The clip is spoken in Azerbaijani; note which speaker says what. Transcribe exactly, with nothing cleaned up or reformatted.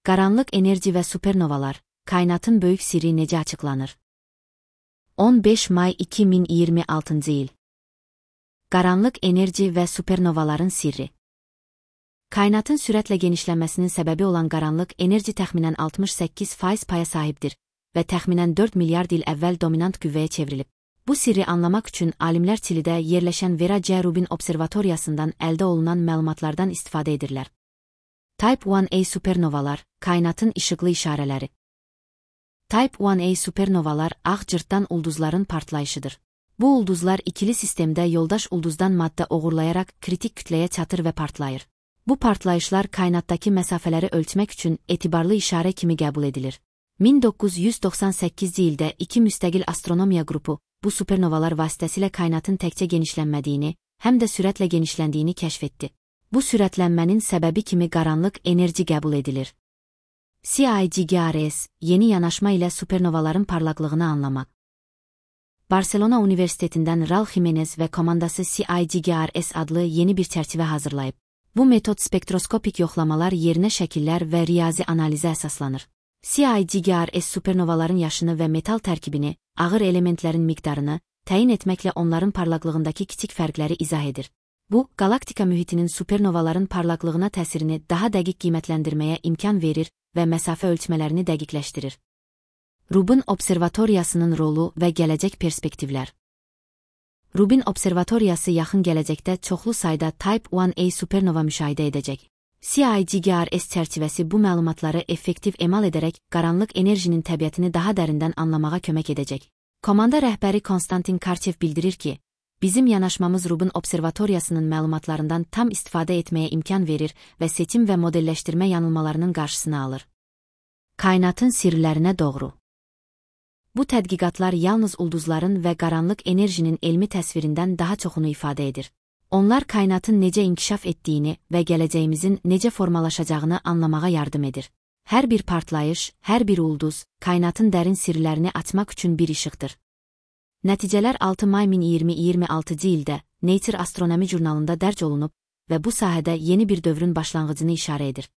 Speaker 1: Qaranlıq enerji və supernovalar, kainatın böyük sirri necə açıqlanır? on beş may iki min iyirmi altıncı il. Qaranlıq enerji və supernovaların sirri. Kainatın sürətlə genişlənməsinin səbəbi olan qaranlıq enerji təxminən altmış səkkiz faiz paya sahibdir və təxminən dörd milyard il əvvəl dominant qüvvəyə çevrilib. Bu sirri anlamaq üçün alimlər Çilidə yerləşən Vera C. Rubin observatoriyasından əldə olunan məlumatlardan istifadə edirlər. Type one A supernovalar, kainatın işıqlı işarələri. Type one A supernovalar ağ cırtdan ulduzların partlayışıdır. Bu ulduzlar ikili sistemdə yoldaş ulduzdan maddə oğurlayaraq kritik kütləyə çatır və partlayır. Bu partlayışlar kainatdakı məsafələri ölçmək üçün etibarlı işarə kimi qəbul edilir. min doqquz yüz doxsan səkkizinci ildə iki müstəqil astronomiya qrupu bu supernovalar vasitəsilə kainatın təkcə genişlənmədiyini, həm də sürətlə genişləndiyini kəşf etdi. Bu sürətlənmənin səbəbi kimi qaranlıq enerji qəbul edilir. C I G G R S, yeni yanaşma ilə supernovaların parlaqlığını anlamaq. Barcelona Universitetindən Raul Jimenez və komandası C I G G R S adlı yeni bir çərçivə hazırlayıb. Bu metod spektroskopik yoxlamalar yerinə şəkillər və riyazi analizə əsaslanır. C I G G R S supernovaların yaşını və metal tərkibini, ağır elementlərin miqdarını təyin etməklə onların parlaqlığındakı kiçik fərqləri izah edir. Bu, galaktika mühitinin supernovaların parlaqlığına təsirini daha dəqiq qiymətləndirməyə imkan verir və məsafə ölçmələrini dəqiqləşdirir. Rubin observatoriyasının rolu və gələcək perspektivlər. Rubin observatoriyası yaxın gələcəkdə çoxlu sayda Type one A supernova müşahidə edəcək. C I G G R S çərçivəsi bu məlumatları effektiv emal edərək qaranlıq enerjinin təbiətini daha dərindən anlamağa kömək edəcək. Komanda rəhbəri Konstantin Karchev bildirir ki, bizim yanaşmamız Rubin observatoriyasının məlumatlarından tam istifadə etməyə imkan verir və seçim və modelləşdirmə yanılmalarının qarşısını alır. Kainatın sirlərinə doğru. Bu tədqiqatlar yalnız ulduzların və qaranlıq enerjinin elmi təsvirindən daha çoxunu ifadə edir. Onlar kainatın necə inkişaf etdiyini və gələcəyimizin necə formalaşacağını anlamağa yardım edir. Hər bir partlayış, hər bir ulduz, kainatın dərin sirlərini açmaq üçün bir işıqdır. Nəticələr altı may min iyirmi altıncı ildə Nature Astronomy jurnalında dərc olunub və bu sahədə yeni bir dövrün başlanğıcını işarə edir.